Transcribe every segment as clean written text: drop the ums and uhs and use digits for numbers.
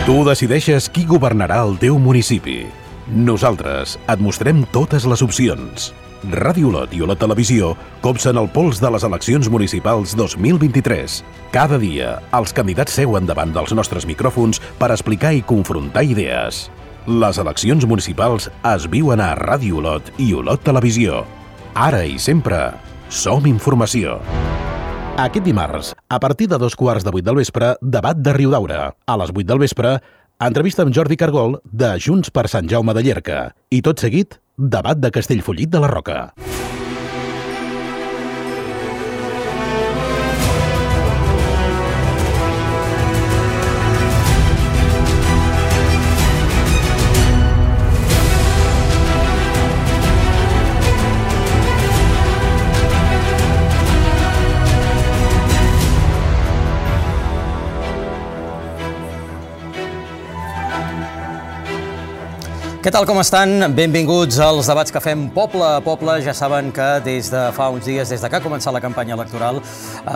Tu decideixes qui governarà el teu municipi. Nosaltres et mostrem totes les opcions. Ràdio Olot i Olot Televisió copsen el pols de les eleccions municipals 2023. Cada dia, els candidats seuen davant dels nostres micròfons per explicar i confrontar idees. Les eleccions municipals es viuen a Ràdio Olot i Olot Televisió. Ara i sempre, som informació. Aquest dimarts, a partir de 2:15 del vespre, debat de Riudaura. A les 8 del vespre, entrevista amb Jordi Cargol de Junts per Sant Jaume de Llierca. I tot seguit, debat de Castellfollit de la Roca. Què tal, com estan? Benvinguts als debats que fem poble a poble. Ja saben que des de fa uns dies, des de que ha començat la campanya electoral,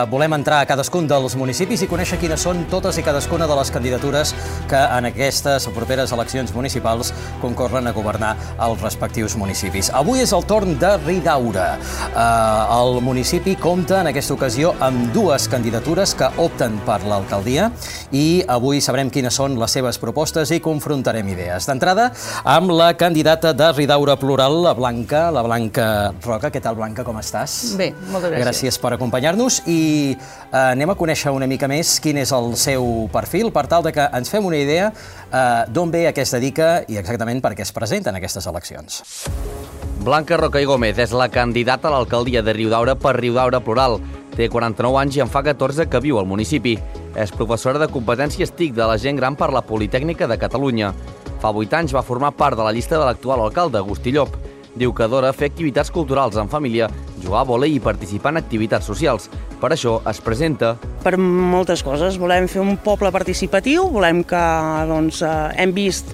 volem entrar a cadascun dels municipis i conèixer quines són totes i cadascuna de les candidatures que en aquestes properes eleccions municipals concorren a governar els respectius municipis. Avui és el torn de Riudaura. El municipi compta en aquesta ocasió amb dues candidatures que opten per l'alcaldia i avui sabrem quines són les seves propostes i confrontarem idees. D'entrada, amb la candidata de Riudaura Plural, la Blanca Roca. Què tal, Blanca, com estàs? Bé, moltes gràcies. Gràcies per acompanyar-nos i anem a conèixer una mica més quin és el seu perfil, per tal de que ens fem una idea d'on ve, a què es dedica i exactament per què es presenta en aquestes eleccions. Blanca Roca i Gómez és la candidata a l'alcaldia de Riudaura per Riudaura Plural. Té 49 anys i en fa 14 que viu al municipi. És professora de competències TIC de la gent gran per la Politècnica de Catalunya. Fa 8 anys va formar part de la llista de l'actual alcalde, Agustí Llop. Diu que adora fer activitats culturals en família, jugar a vòlei i participar en activitats socials. Per això es presenta... Per moltes coses. Volem fer un poble participatiu, volem que, hem vist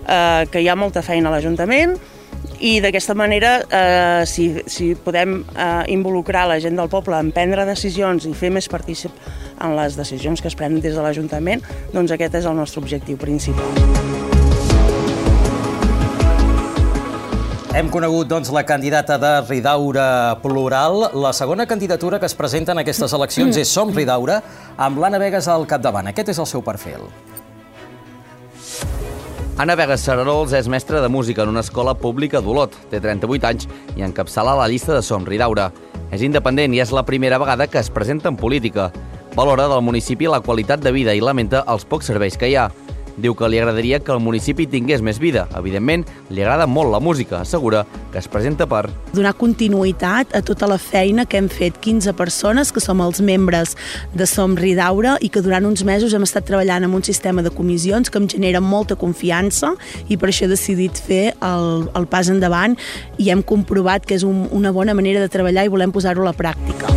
que hi ha molta feina a l'Ajuntament i d'aquesta manera, si podem involucrar la gent del poble en prendre decisions i fer més partícip en les decisions que es prenen des de l'Ajuntament, doncs aquest és el nostre objectiu principal. Hem conegut, la candidata de Riudaura Plural. La segona candidatura que es presenta en aquestes eleccions és Som Riudaura, amb l'Anna Vegas al capdavant. Aquest és el seu perfil. Anna Vegas Sararols és mestra de música en una escola pública d'Olot. Té 38 anys i encapçala la llista de Som Riudaura. És independent i és la primera vegada que es presenta en política. Valora del municipi la qualitat de vida i lamenta els pocs serveis que hi ha. Diu que li agradaria que el municipi tingués més vida. Evidentment, li agrada molt la música. Assegura que es presenta per... donar continuïtat a tota la feina que hem fet 15 persones, que som els membres de Som Riudaura i que durant uns mesos hem estat treballant en un sistema de comissions que em genera molta confiança i per això he decidit fer el pas endavant i hem comprovat que és una bona manera de treballar i volem posar-ho a la pràctica.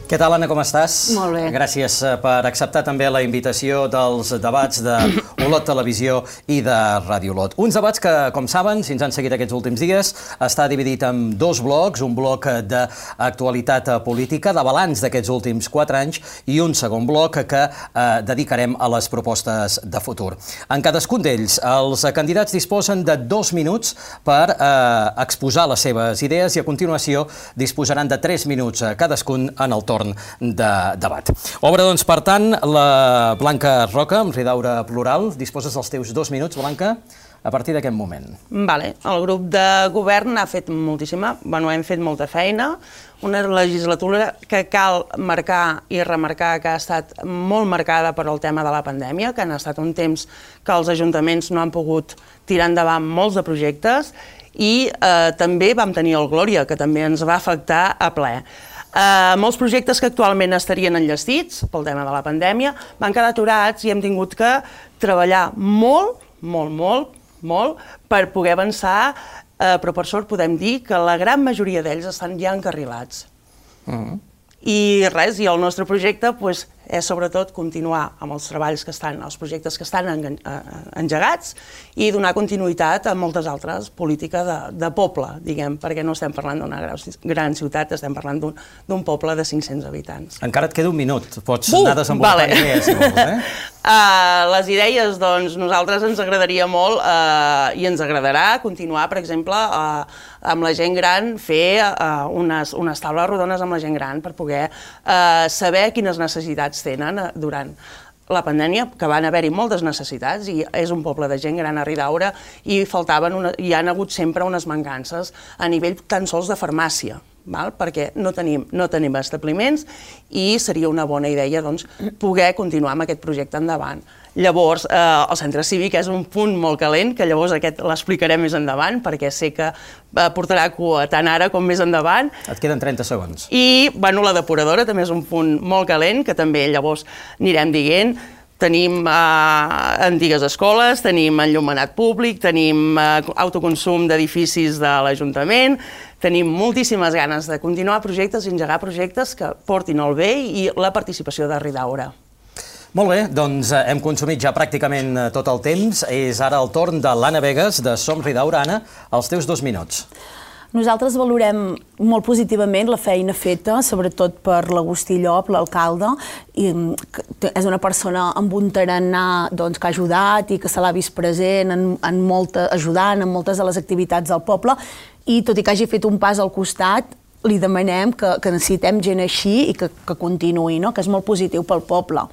Què tal, Anna, com estàs? Molt bé. Gràcies per acceptar també la invitació dels debats de Olot Televisió i de Ràdio Olot. Uns debats que, com saben, si ens han seguit aquests últims dies, està dividit en dos blocs, un bloc d'actualitat política, de balanç d'aquests últims 4 anys, i un segon bloc que dedicarem a les propostes de futur. En cadascun d'ells, els candidats disposen de 2 minuts per exposar les seves idees i a continuació disposaran de 3 minuts cadascun en el torn de debat. Obre, doncs, per tant, la Blanca Roca, amb Riudaura Plural. Disposes dels teus 2 minuts, Blanca, a partir d'aquest moment. Vale. El grup de govern ha fet hem fet molta feina, una legislatura que cal marcar i remarcar que ha estat molt marcada per el tema de la pandèmia, que han estat un temps que els ajuntaments no han pogut tirar endavant molts de projectes i també vam tenir el Glòria, que també ens va afectar a ple. Molts projectes que actualment estarien enllestits pel tema de la pandèmia van quedar aturats i hem tingut que treballar molt per poder avançar, però per sort podem dir que la gran majoria d'ells estan ja encarrilats. I res, i el nostre projecte és sobretot continuar amb els treballs que estan, els projectes que estan engegats i donar continuïtat a moltes altres polítiques de poble, diguem, perquè no estem parlant d'una gran ciutat, estem parlant d'un poble de 500 habitants. Encara et queda un minut, pots anar desenvolupant idees, si vols, Les idees, doncs, nosaltres ens agradaria molt i ens agradarà continuar, per exemple, amb la gent gran, fer unes taules rodones amb la gent gran per poder saber quines necessitats tenen durant la pandèmia, que van haver-hi moltes necessitats i és un poble de gent gran a Ridaura i hi han hagut sempre unes mancances a nivell tan sols de farmàcia, perquè no tenim establiments i seria una bona idea poder continuar amb aquest projecte endavant. Llavors, el centre cívic és un punt molt calent, que llavors aquest l'explicaré més endavant, perquè sé que portarà cua tant ara com més endavant. Et queden 30 segons. I la depuradora també és un punt molt calent, que també llavors anirem dient. Tenim antigues escoles, tenim enllumenat públic, tenim autoconsum d'edificis de l'Ajuntament, tenim moltíssimes ganes de continuar projectes i engegar projectes que portin el bé i la participació de Ridaura. Molt bé, doncs hem consumit ja pràcticament tot el temps. És ara el torn de l'Anna Vegas, de Som Ridaura. Anna, els teus 2 minuts. Nosaltres valorem molt positivament la feina feta, sobretot per l'Agustí Llop, l'alcalde. És una persona amb un tarannà que ha ajudat i que se l'ha vist present, ajudant en moltes de les activitats del poble. I tot i que hagi fet un pas al costat, li demanem que necessitem gent així i que continuï, que és molt positiu pel poble.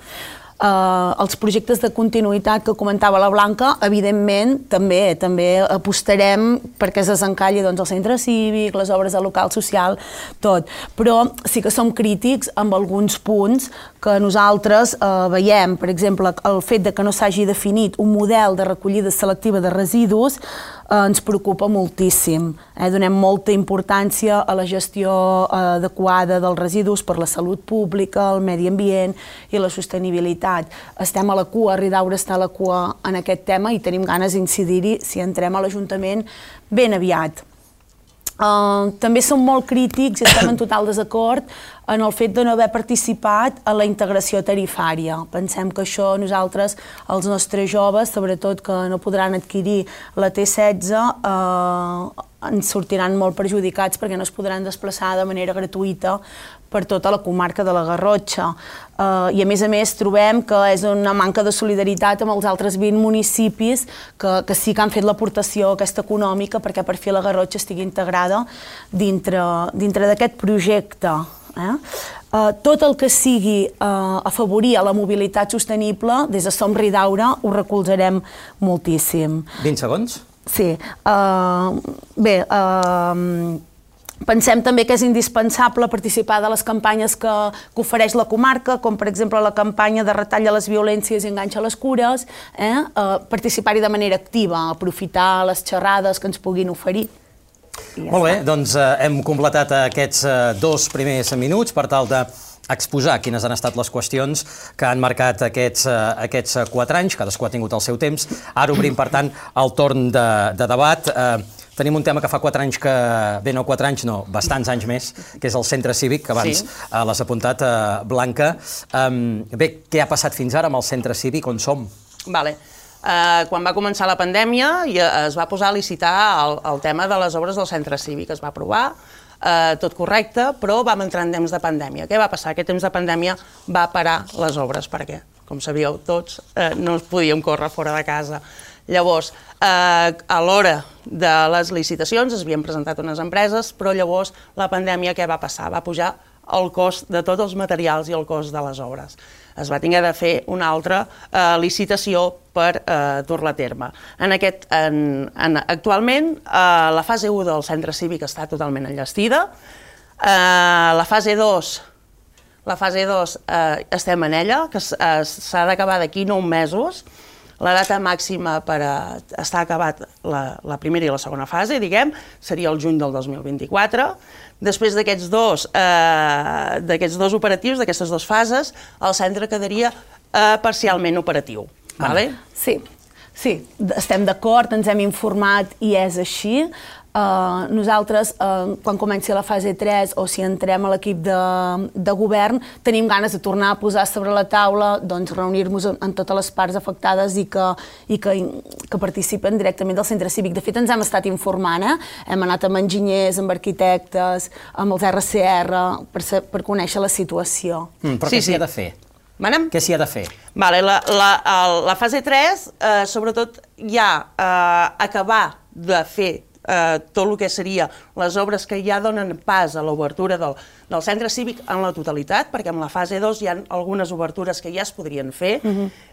Els projectes de continuïtat que comentava la Blanca, evidentment, també apostarem perquè es desencalli el centre cívic, les obres de local social, tot. Però sí que som crítics amb alguns punts que nosaltres veiem. Per exemple, el fet que no s'hagi definit un model de recollida selectiva de residus ens preocupa moltíssim. Donem molta importància a la gestió adequada dels residus per la salut pública, el medi ambient i la sostenibilitat. Estem a la cua, Ridaura està a la cua en aquest tema i tenim ganes d'incidir-hi si entrem a l'Ajuntament ben aviat. També som molt crítics i estem en total desacord en el fet de no haver participat en la integració tarifària. Pensem que això nosaltres, els nostres joves, sobretot que no podran adquirir la T16, ens sortiran molt perjudicats perquè no es podran desplaçar de manera gratuïta per tota la comarca de la Garrotxa. I a més trobem que és una manca de solidaritat amb els altres 20 municipis que sí que han fet l'aportació aquesta econòmica perquè per fi la Garrotxa estigui integrada dintre d'aquest projecte. Tot el que sigui afavorir la mobilitat sostenible, des de Som Ridaura ho recolzarem moltíssim. 20 segons? Sí. Bé, pensem també que és indispensable participar de les campanyes que ofereix la comarca, com per exemple la campanya de retall a les violències i enganxa a les cures, participar-hi de manera activa, aprofitar les xerrades que ens puguin oferir. Molt bé, doncs hem completat aquests 2 primers minuts per tal d'exposar quines han estat les qüestions que han marcat aquests 4 anys, cadascú ha tingut el seu temps. Ara obrim, per tant, el torn de debat. Tenim un tema que fa 4 anys que... Bé, no 4 anys, no, bastants anys més, que és el centre cívic, que abans l'has apuntat, Blanca. Bé, què ha passat fins ara amb el centre cívic? On som? Vale. Quan va començar la pandèmia es va posar a licitar el tema de les obres del centre cívic. Es va aprovar, tot correcte, però vam entrar en temps de pandèmia. Què va passar? Aquest temps de pandèmia va parar les obres, perquè, com sabíeu tots, no podíem córrer fora de casa. Llavors, a l'hora de les licitacions es havien presentat unes empreses, però llavors la pandèmia què va passar? Va pujar el cost de tots els materials i el cost de les obres. Es va haver de fer una altra licitació per dur-la a terme. Actualment, la fase 1 del centre cívic està totalment enllestida. La fase 2 estem en ella, que s'ha d'acabar d'aquí 9 mesos. La data màxima per estar acabat la primera i la segona fase, diguem, seria el juny del 2024. Després d'aquests dos operatius, d'aquestes 2 fases, el centre quedaria parcialment operatiu. Sí, estem d'acord, ens hem informat i és així. nosaltres, quan comenci la fase 3 o si entrem a l'equip de govern, tenim ganes de tornar a posar sobre la taula, doncs reunir-nos amb totes les parts afectades i que participen directament del centre cívic. De fet, ens hem estat informant, hem anat amb enginyers, amb arquitectes, amb els RCR, per conèixer la situació. Però què s'hi ha de fer? Què s'hi ha de fer? La fase 3, sobretot, ja acabar de fer tot el que seria les obres que ja donen pas a l'obertura del centre cívic en la totalitat, perquè en la fase 2 hi ha algunes obertures que ja es podrien fer.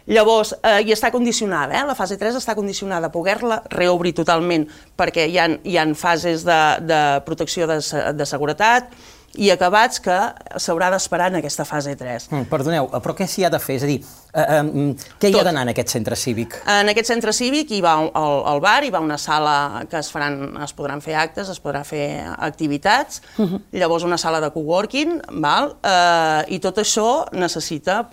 Llavors, i està condicionada, la fase 3 està condicionada a poder-la reobrir totalment, perquè hi ha fases de protecció de seguretat i acabats que s'haurà d'esperar en aquesta fase 3. Perdoneu, però què s'hi ha de fer? És a dir, què hi ha d'anar en aquest centre cívic? En aquest centre cívic hi va el bar, hi va una sala que es podran fer actes, es podrà fer activitats, llavors una sala de coworking, i tot això necessita,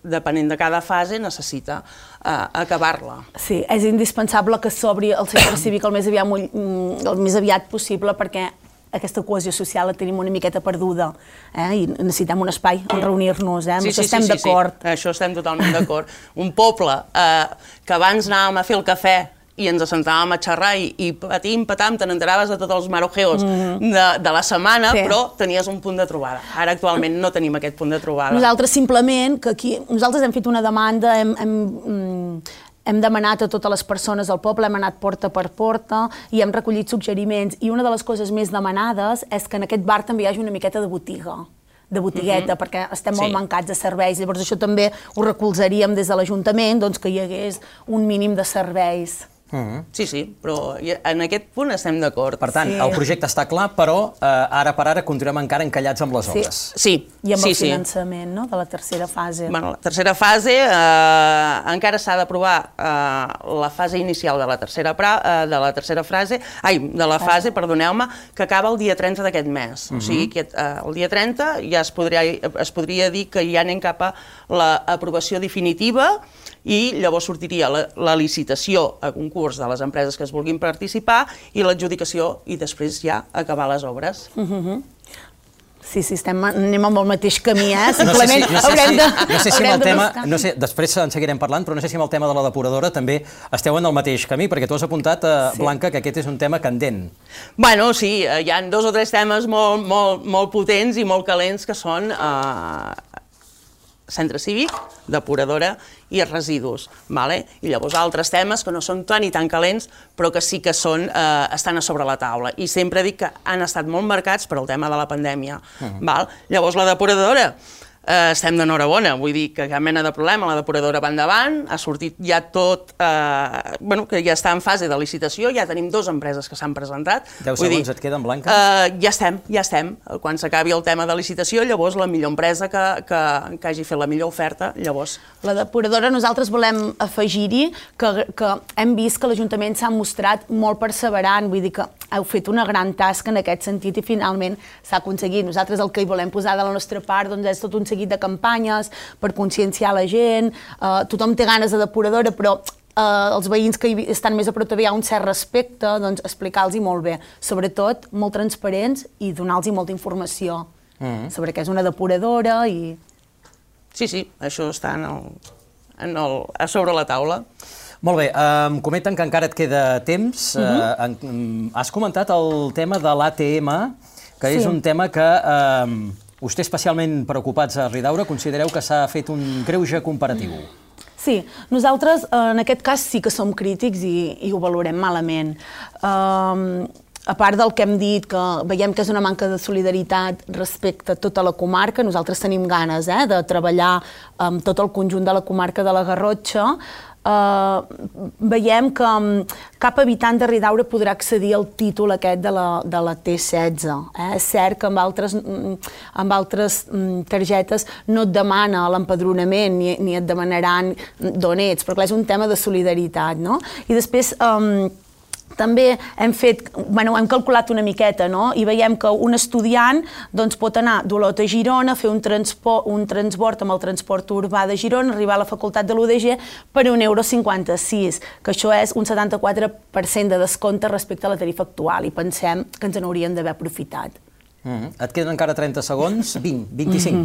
depenent de cada fase, necessita acabar-la. Sí, és indispensable que s'obri el centre cívic el més aviat possible, perquè aquesta cohesió social la tenim una miqueta perduda i necessitem un espai on reunir-nos, amb això estem d'acord. Això estem totalment d'acord. Un poble que abans anàvem a fer el cafè i ens assentàvem a xerrar i patim-patam, te n'enteraves de tots els marojeos de la setmana, però tenies un punt de trobada. Ara actualment no tenim aquest punt de trobada. Nosaltres simplement, que aquí, nosaltres hem fet una demanda, hem demanat a totes les persones del poble, hem anat porta per porta i hem recollit suggeriments, i una de les coses més demanades és que en aquest bar també hi hagi una miqueta de botiga, de botigueta, perquè estem molt mancats de serveis. Llavors això també ho recolzaríem des de l'Ajuntament, que hi hagués un mínim de serveis. Sí, però en aquest punt estem d'acord. Per tant, el projecte està clar, però ara per ara continuem encara encallats amb les obres. Sí. I amb el finançament de la tercera fase. La tercera fase encara s'ha d'aprovar la fase inicial de la fase, perdoneu-me, que acaba el dia 30 d'aquest mes. O sigui que el dia 30 ja es podria dir que ja anem cap a l'aprovació definitiva, i llavors sortiria la licitació a concurs de les empreses que es vulguin participar i l'adjudicació, i després ja acabar les obres. Sí, anem amb el mateix camí, simplement haurem de... No sé si amb el tema, després en seguirem parlant, però no sé si amb el tema de la depuradora també esteu en el mateix camí, perquè tu has apuntat, Blanca, que aquest és un tema candent. Bueno, sí, hi ha 2 o 3 temes molt potents i molt calents, que són centre cívic, depuradora i residus. I llavors altres temes que no són tan i tan calents, però que sí que estan a sobre la taula. I sempre dic que han estat molt marcats per el tema de la pandèmia. Llavors la depuradora, estem d'enhorabona, vull dir que cap mena de problema, la depuradora va endavant, ha sortit ja tot, que ja està en fase de licitació, ja tenim 2 empreses que s'han presentat. 10 segons et queden, Blanca? Ja estem. Quan s'acabi el tema de licitació, llavors la millor empresa que hagi fet la millor oferta, llavors... La depuradora, nosaltres volem afegir-hi que hem vist que l'Ajuntament s'ha mostrat molt perseverant, vull dir que heu fet una gran tasca en aquest sentit i finalment s'ha aconseguit. Nosaltres el que hi volem posar de la nostra part és tot un seguit de campanyes per conscienciar la gent, tothom té ganes de depuradora, però els veïns que estan més a prop hi ha un cert respecte, doncs explicar-los molt bé, sobretot molt transparents i donar-los molta informació sobre què és una depuradora i... Sí, això està a sobre la taula. Molt bé, em comenten que encara et queda temps. Has comentat el tema de l'ATM, que és un tema que us té especialment preocupats a Ridaura. Considereu que s'ha fet un greuge comparatiu? Sí, nosaltres en aquest cas sí que som crítics i ho valorem malament. A part del que hem dit, que veiem que és una manca de solidaritat respecte a tota la comarca, nosaltres tenim ganes de treballar amb tot el conjunt de la comarca de la Garrotxa. Veiem que cap habitant de Ridaura podrà accedir al títol aquest de la T16. És cert que amb altres targetes no et demana l'empadronament ni et demanaran d'on ets, però clar, és un tema de solidaritat, no? I després també hem calculat una miqueta, no? I veiem que un estudiant pot anar d'Olot a Girona, fer un transbord amb el transport urbà de Girona, arribar a la facultat de l'UDG per €1,56, que això és un 74% de descompte respecte a la tarifa actual, i pensem que ens n'hauríem d'haver aprofitat. Et queden encara 30 segons? 20, 25.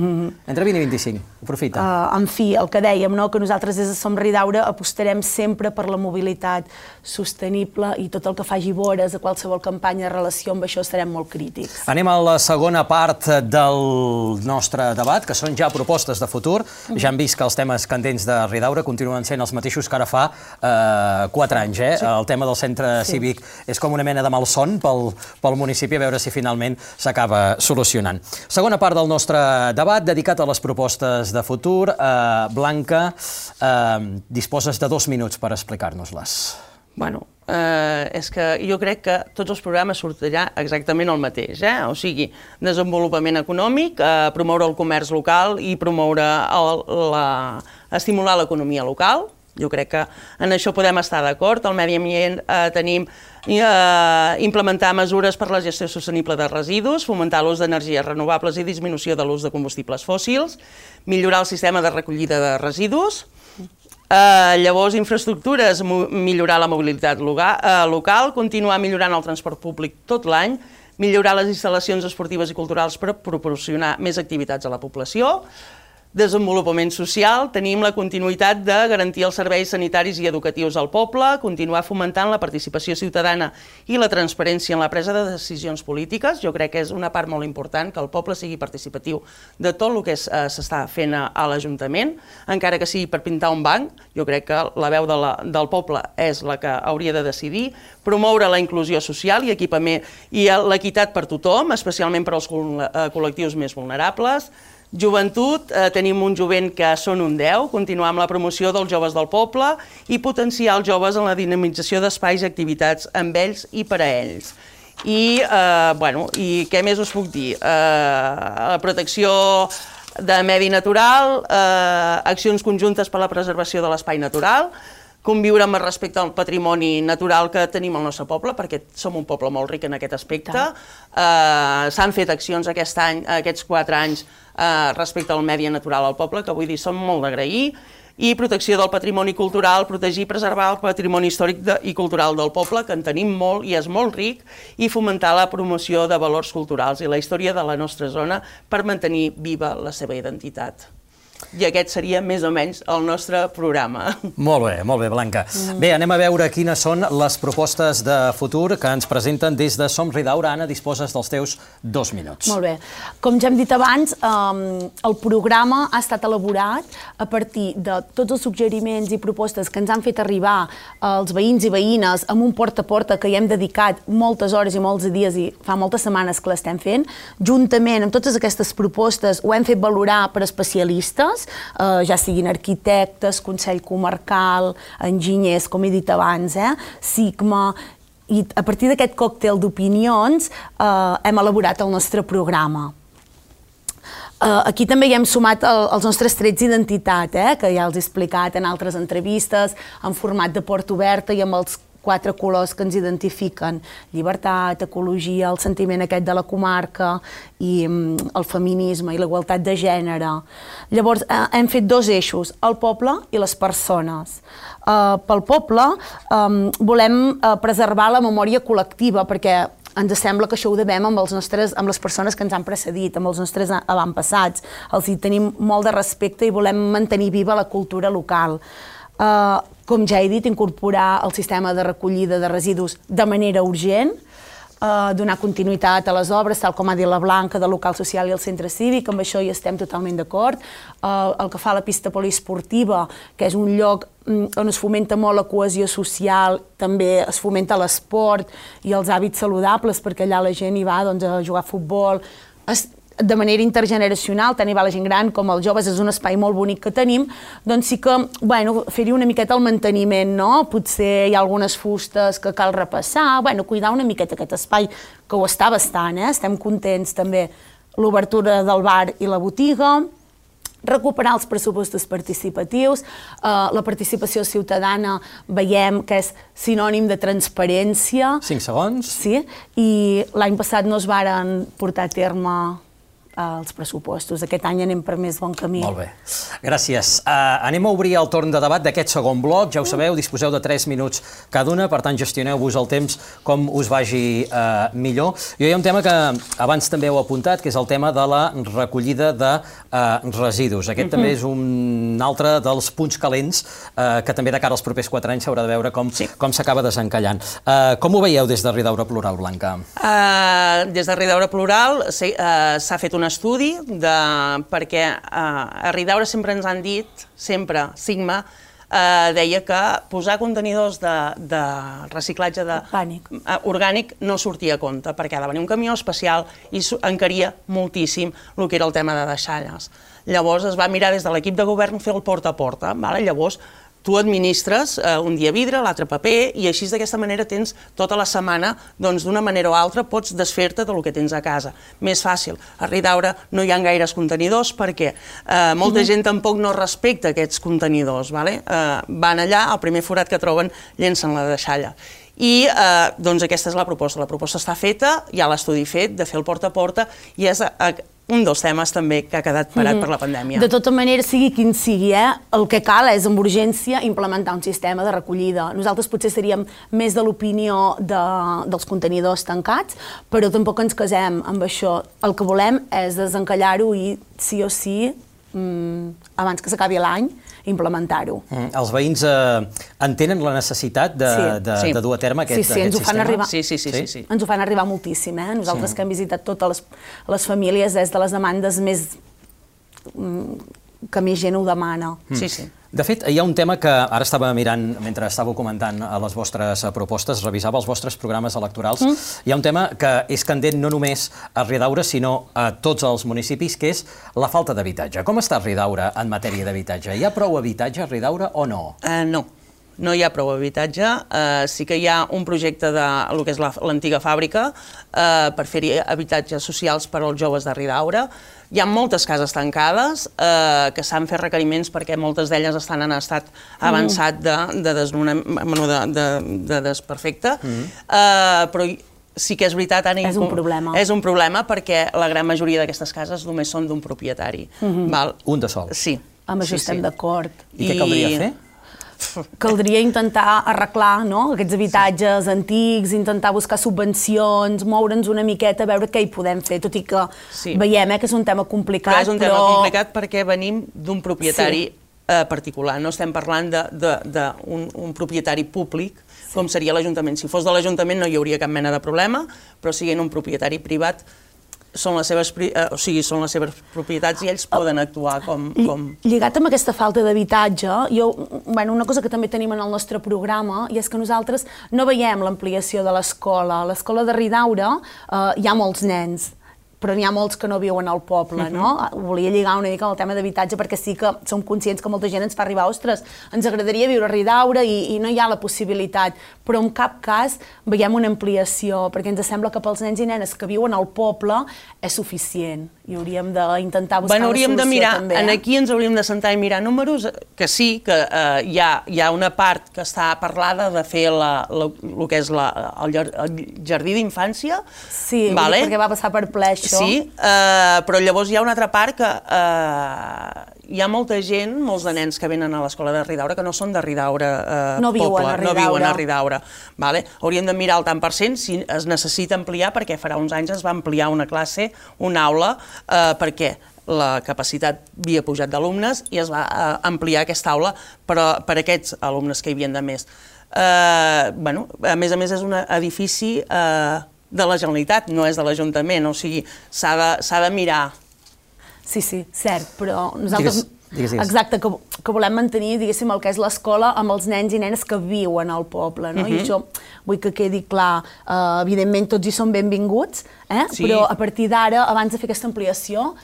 Entre 20 i 25. Aprofita. En fi, el que dèiem, que nosaltres des de Som Ridaura apostarem sempre per la mobilitat sostenible i tot el que faci vores a qualsevol campanya de relació amb això estarem molt crítics. Anem a la segona part del nostre debat, que són ja propostes de futur. Ja hem vist que els temes candents de Ridaura continuen sent els mateixos que ara fa 4 anys. El tema del centre cívic és com una mena de malson pel municipi, a veure si finalment s'acaba solucionant. Segona part del nostre debat, dedicat a les propostes de futur. Blanca, disposes de 2 minuts per explicar-nos-les. Bueno, és que jo crec que tots els programes sortirà exactament el mateix, o sigui, desenvolupament econòmic, promoure el comerç local i estimular l'economia local. Jo crec que en això podem estar d'acord. Al medi ambient tenim implementar mesures per la gestió sostenible de residus, fomentar l'ús d'energies renovables i disminució de l'ús de combustibles fòssils, millorar el sistema de recollida de residus, llavors infraestructures, millorar la mobilitat local, continuar millorant el transport públic tot l'any, millorar les instal·lacions esportives i culturals per proporcionar més activitats a la població, desenvolupament social, tenim la continuïtat de garantir els serveis sanitaris i educatius al poble, continuar fomentant la participació ciutadana i la transparència en la presa de decisions polítiques. Jo crec que és una part molt important que el poble sigui participatiu de tot el que s'està fent a l'Ajuntament, encara que sigui per pintar un banc. Jo crec que la veu del poble és la que hauria de decidir, promoure la inclusió social i l'equitat per tothom, especialment per als col·lectius més vulnerables. Joventut, tenim un jovent que són un 10, continuar amb la promoció dels joves del poble i potenciar els joves en la dinamització d'espais i activitats amb ells i per a ells. I què més us puc dir? Protecció de medi natural, accions conjuntes per a la preservació de l'espai natural, conviure amb respecte al patrimoni natural que tenim al nostre poble, perquè som un poble molt ric en aquest aspecte. S'han fet accions aquests 4 anys respecte al medi natural al poble, que vull dir, són molt d'agrair, i protecció del patrimoni cultural, protegir i preservar el patrimoni històric i cultural del poble, que en tenim molt i és molt ric, i fomentar la promoció de valors culturals i la història de la nostra zona per mantenir viva la seva identitat. I aquest seria més o menys el nostre programa. Molt bé, Blanca. Bé, anem a veure quines són les propostes de futur que ens presenten des de Som Ridaura. Anna, disposes dels teus 2 minuts. Molt bé. Com ja hem dit abans, el programa ha estat elaborat a partir de tots els suggeriments i propostes que ens han fet arribar els veïns i veïnes amb un porta a porta que hi hem dedicat moltes hores i molts dies i fa moltes setmanes que l'estem fent. Juntament amb totes aquestes propostes ho hem fet valorar per especialistes, ja siguin arquitectes, Consell Comarcal, enginyers, com he dit abans, SIGMA, i a partir d'aquest còctel d'opinions hem elaborat el nostre programa. Aquí també hi hem sumat els nostres trets d'identitat, que ja els he explicat en altres entrevistes, en format de porta oberta i amb els 4 colors que ens identifiquen: llibertat, ecologia, el sentiment aquest de la comarca i el feminisme i la igualtat de gènere. Llavors, hem fet 2 eixos, el poble i les persones. Pel poble volem preservar la memòria col·lectiva, perquè ens sembla que això ho devem amb les persones que ens han precedit, amb els nostres avantpassats. Els hi tenim molt de respecte i volem mantenir viva la cultura local. Com ja he dit, incorporar el sistema de recollida de residus de manera urgent, donar continuïtat a les obres, tal com ha dit la Blanca, del local social i el centre cívic, amb això hi estem totalment d'acord. El que fa la pista poliesportiva, que és un lloc on es fomenta molt la cohesió social, també es fomenta l'esport i els hàbits saludables, perquè allà la gent hi va a jugar a futbol, de manera intergeneracional, tant hi va la gent gran com els joves, és un espai molt bonic que tenim, doncs sí que, fer-hi una miqueta el manteniment, no? Potser hi ha algunes fustes que cal repassar, cuidar una miqueta aquest espai, que ho està bastant, estem contents també, l'obertura del bar i la botiga, recuperar els pressupostos participatius. La participació ciutadana veiem que és sinònim de transparència. 5 segons. Sí, i l'any passat no es varen portar a terme els pressupostos. Aquest any anem per més bon camí. Molt bé. Gràcies. Anem a obrir el torn de debat d'aquest segon bloc. Ja ho sabeu, disposeu de 3 minuts cada una, per tant, gestioneu-vos el temps com us vagi millor. Hi ha un tema que abans també heu apuntat, que és el tema de la recollida de residus. Aquest també és un altre dels punts calents que també de cara als propers 4 anys s'haurà de veure com s'acaba desencallant. Com ho veieu des de Ridaura Plural, Blanca? Des de Ridaura Plural s'ha fet un estudi perquè a Ridaura sempre ens han dit, sempre, Sigma, deia que posar contenidors de reciclatge orgànic no sortia a compte, perquè ha de venir un camió especial i encaria moltíssim el que era el tema de deixalles. Llavors es va mirar des de l'equip de govern fer el porta a porta. Llavors tu administres un dia vidre, l'altre paper, i així d'aquesta manera tens tota la setmana, doncs d'una manera o altra pots desfer-te del que tens a casa. Més fàcil. A Ridaura no hi ha gaires contenidors perquè molta gent tampoc no respecta aquests contenidors. Van allà, al primer forat que troben, llencen la deixalla. I doncs aquesta és la proposta. La proposta està feta, hi ha l'estudi fet de fer el porta a porta i és un dels temes també que ha quedat parat per la pandèmia. De tota manera, sigui quin sigui, el que cal és amb urgència implementar un sistema de recollida. Nosaltres potser seríem més de l'opinió dels contenidors tancats, però tampoc ens casem amb això. El que volem és desencallar-ho i sí o sí, abans que s'acabi l'any, implementar-ho. Els veïns entenen la necessitat de dur a terme aquest sistema? Sí, ens ho fan arribar. Sí. Ens ho fan arribar moltíssim. Nosaltres que hem visitat totes les famílies és de les demandes més que més gent ho demana. Sí. De fet, hi ha un tema que ara estava mirant, mentre estàveu comentant les vostres propostes, revisava els vostres programes electorals, hi ha un tema que és candent no només a Ridaura, sinó a tots els municipis, que és la falta d'habitatge. Com està Ridaura en matèria d'habitatge? Hi ha prou habitatge a Ridaura o no? No hi ha prou habitatge. Sí que hi ha un projecte de el que és l'antiga fàbrica per fer-hi habitatges socials per als joves de Ridaura. Hi ha moltes cases tancades que s'han fet requeriments perquè moltes d'elles estan en estat avançat de desperfecte, però sí que és veritat, Anna, és un problema. És un problema perquè la gran majoria d'aquestes cases només són d'un propietari. Un de sol. Sí. Amb això estem d'acord. I què caldria fer? Caldria intentar arreglar aquests habitatges antics, intentar buscar subvencions, moure'ns una miqueta, veure què hi podem fer, tot i que veiem que és un tema complicat. Però és un tema complicat perquè venim d'un propietari particular, no estem parlant d'un propietari públic, com seria l'Ajuntament. Si fos de l'Ajuntament no hi hauria cap mena de problema, però siguent un propietari privat són les seves propietats i ells poden actuar com... Lligat amb aquesta falta d'habitatge, una cosa que també tenim en el nostre programa i és que nosaltres no veiem l'ampliació de l'escola. A l'escola de Ridaura hi ha molts nens, però n'hi ha molts que no viuen al poble, no? Volia lligar una mica amb el tema d'habitatge perquè sí que som conscients que molta gent ens fa arribar, ostres, ens agradaria viure a Ridaura i no hi ha la possibilitat, però en cap cas veiem una ampliació, perquè ens sembla que pels nens i nenes que viuen al poble és suficient i hauríem d'intentar buscar una solució també. Aquí ens hauríem de sentar i mirar números, que sí, que hi ha una part que està parlada de fer el que és el jardí d'infància. Sí, perquè va passar per ple això. Sí, però llavors hi ha una altra part que hi ha molta gent, molts de nens que venen a l'escola de Ridaura que no són de Ridaura poble, no viuen a Ridaura. Hauríem de mirar el tant per cent si es necessita ampliar, perquè farà uns anys es va ampliar una classe, una aula, perquè la capacitat havia pujat d'alumnes i es va ampliar aquesta aula per a aquests alumnes que hi havien de més. A més és un edifici de la Generalitat, no és de l'Ajuntament, o sigui, s'ha de mirar. Sí, cert, però nosaltres... Exacte, que volem mantenir, diguéssim, el que és l'escola amb els nens i nenes que viuen al poble, no? I això vull que quedi clar. Evidentment, tots hi són benvinguts, però a partir d'ara, abans de fer aquesta ampliació,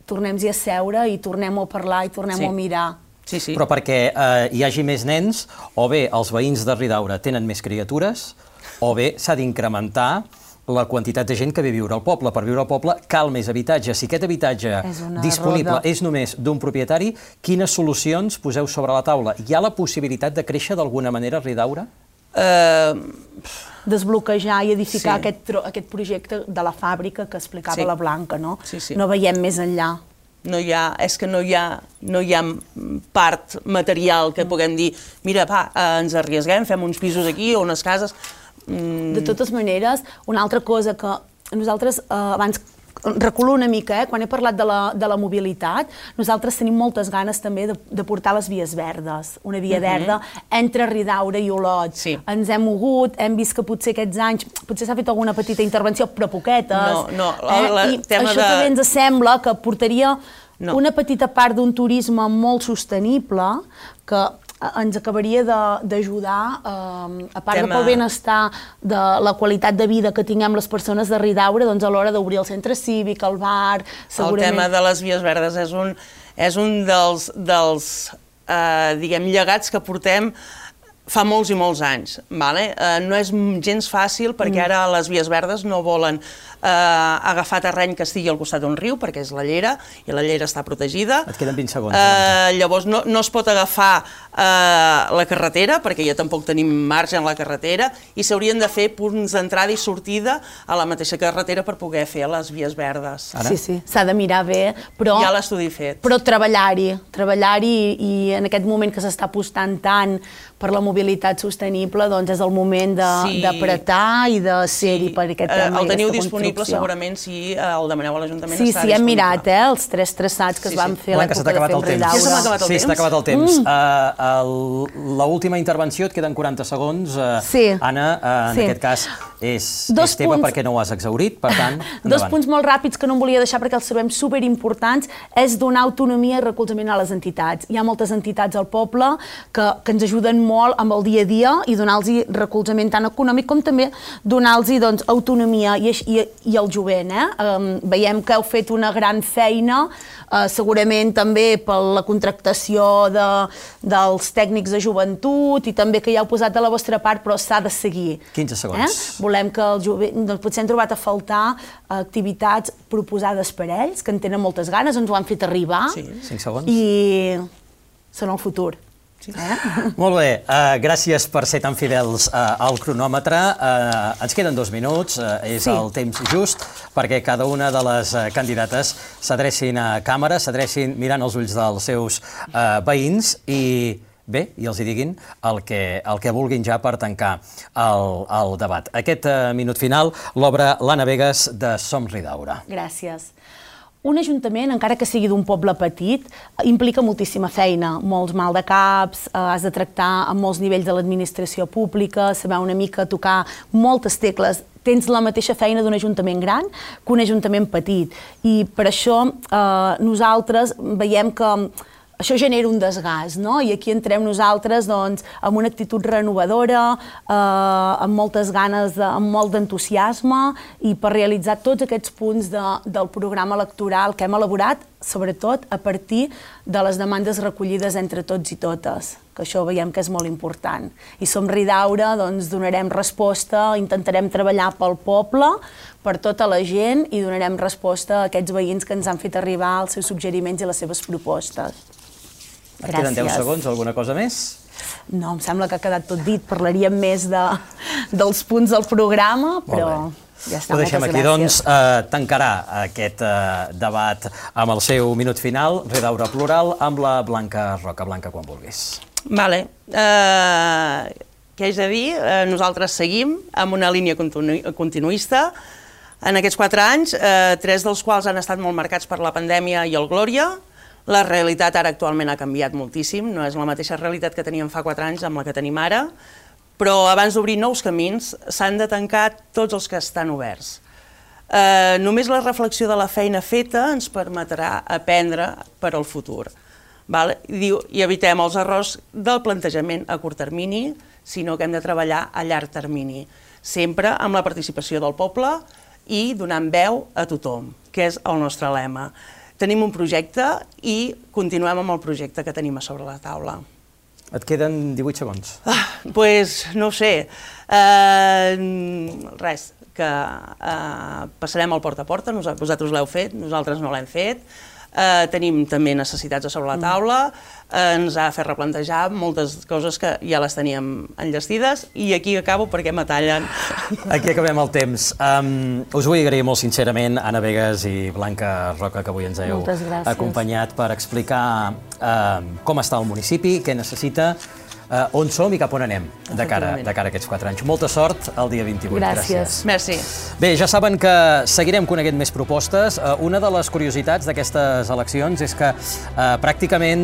tornem-hi a seure i tornem a parlar i tornem a mirar. Però perquè hi hagi més nens, o bé els veïns de Ridaura tenen més criatures, o bé s'ha d'incrementar la quantitat de gent que ve a viure al poble. Per viure al poble cal més habitatge. Si aquest habitatge disponible és només d'un propietari, quines solucions poseu sobre la taula? Hi ha la possibilitat de créixer d'alguna manera a Ridaura? Desbloquejar i edificar aquest projecte de la fàbrica que explicava la Blanca, no? No veiem més enllà. És que no hi ha part material que puguem dir mira, ens arriesguem, fem uns pisos aquí o unes cases. De totes maneres, una altra cosa que nosaltres abans reculo una mica, quan he parlat de la mobilitat, nosaltres tenim moltes ganes també de portar les vies verdes, una via verda entre Ridaura i Olot. Ens hem mogut, hem vist que potser aquests anys, potser s'ha fet alguna petita intervenció, però poquetes. I això també ens sembla que portaria una petita part d'un turisme molt sostenible que ens acabaria d'ajudar, a part de pel benestar de la qualitat de vida que tinguem les persones de Ridaura, doncs a l'hora d'obrir el centre cívic, el bar, segurament... El tema de les vies verdes és un dels diguem, llegats que portem fa molts i molts anys. No és gens fàcil perquè ara les vies verdes no volen agafar terreny que estigui al costat d'un riu, perquè és la Llera, i la Llera està protegida. Et queden 20 segons. Llavors no es pot agafar la carretera, perquè ja tampoc tenim marge en la carretera, i s'haurien de fer punts d'entrada i sortida a la mateixa carretera per poder fer les vies verdes. Sí, s'ha de mirar bé, però... Hi ha l'estudi fet. Però treballar-hi, i en aquest moment que s'està apostant tant per la mobilitat sostenible, doncs és el moment d'apretar i de ser-hi per aquest tema. El teniu disponible segurament si el demaneu a l'Ajuntament. Sí, hem mirat els 3 traçats que es van fer a l'època de Fem Ridaura. Ja s'ha acabat el temps? Sí, s'ha acabat el temps. L'última intervenció, et queden 40 segons. Anna, en aquest cas, és teva perquè no ho has exhaurit, per tant, endavant. 2 punts molt ràpids que no em volia deixar perquè els sabem superimportants, és donar autonomia i recolzament a les entitats. Hi ha moltes entitats al poble que ens ajuden molt amb el dia a dia i donar-los recolzament tant econòmic com també donar-los autonomia i el jovent. Veiem que heu fet una gran feina, segurament també per la contractació dels tècnics de joventut i també que ja heu posat de la vostra part, però s'ha de seguir. 15 segons. Volem que el jovent... Potser hem trobat a faltar activitats proposades per ells, que en tenen moltes ganes, ens ho han fet arribar. 5 segons. I són el futur. Molt bé, gràcies per ser tan fidels al cronòmetre. Ens queden 2 minuts, és el temps just perquè cada una de les candidates s'adrecin a càmera, s'adrecin mirant els ulls dels seus veïns i bé, i els hi diguin el que vulguin ja per tancar el debat. Aquest minut final l'obre l'Anna Vegas de Som Ridaura. Gràcies. Un ajuntament, encara que sigui d'un poble petit, implica moltíssima feina, molts mal de caps, has de tractar amb molts nivells de l'administració pública, saber una mica tocar moltes tecles. Tens la mateixa feina d'un ajuntament gran que un ajuntament petit. I per això nosaltres veiem que això genera un desgast, no? I aquí entrem nosaltres amb una actitud renovadora, amb moltes ganes, amb molt d'entusiasme i per realitzar tots aquests punts del programa electoral que hem elaborat, sobretot a partir de les demandes recollides entre tots i totes, que això veiem que és molt important. I Som Ridaura, donarem resposta, intentarem treballar pel poble, per tota la gent i donarem resposta a aquests veïns que ens han fet arribar els seus suggeriments i les seves propostes. Et queden 10 segons, alguna cosa més? No, em sembla que ha quedat tot dit. Parlaríem més dels punts del programa, però ja està, moltes gràcies. Ho deixem aquí, doncs. Tancarà aquest debat amb el seu minut final, Ridaura Plural, amb la Blanca Roca. Blanca, quan vulguis. Vale. Què haig de dir? Nosaltres seguim amb una línia continuista. En aquests 4 anys, 3 dels quals han estat molt marcats per la pandèmia i el Glòria. La realitat ara actualment ha canviat moltíssim, no és la mateixa realitat que teníem fa 4 anys amb la que tenim ara, però abans d'obrir nous camins s'han de tancar tots els que estan oberts. Només la reflexió de la feina feta ens permetrà aprendre per al futur. I evitem els errors del plantejament a curt termini, sinó que hem de treballar a llarg termini, sempre amb la participació del poble i donant veu a tothom, que és el nostre lema. Tenim un projecte i continuem amb el projecte que tenim a sobre la taula. Et queden 18 segons. Doncs no ho sé. Res, que passarem al porta a porta, vosaltres l'heu fet, nosaltres no l'hem fet. Tenim també necessitats a sobre la taula, ens ha fet replantejar moltes coses que ja les teníem enllestides i aquí acabo perquè me tallen. Aquí acabem el temps. Us vull agrair molt sincerament, Anna Begues i Blanca Roca, que avui ens heu acompanyat per explicar com està el municipi, què necessita, on som i cap on anem de cara a aquests 4 anys. Molta sort el dia 28. Gràcies. Merci. Bé, ja saben que seguirem coneguent més propostes. Una de les curiositats d'aquestes eleccions és que pràcticament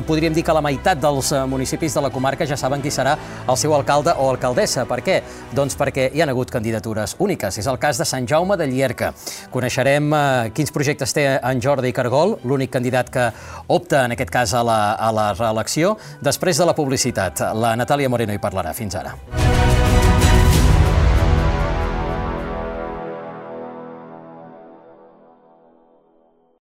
podríem dir que la meitat dels municipis de la comarca ja saben qui serà el seu alcalde o alcaldessa. Per què? Doncs perquè hi ha hagut candidatures úniques. És el cas de Sant Jaume de Llierca. Coneixerem quins projectes té en Jordi Cargol, l'únic candidat que opta, en aquest cas, a la reelecció, després de la publicitat. La Natàlia Moreno hi parlarà. Fins ara.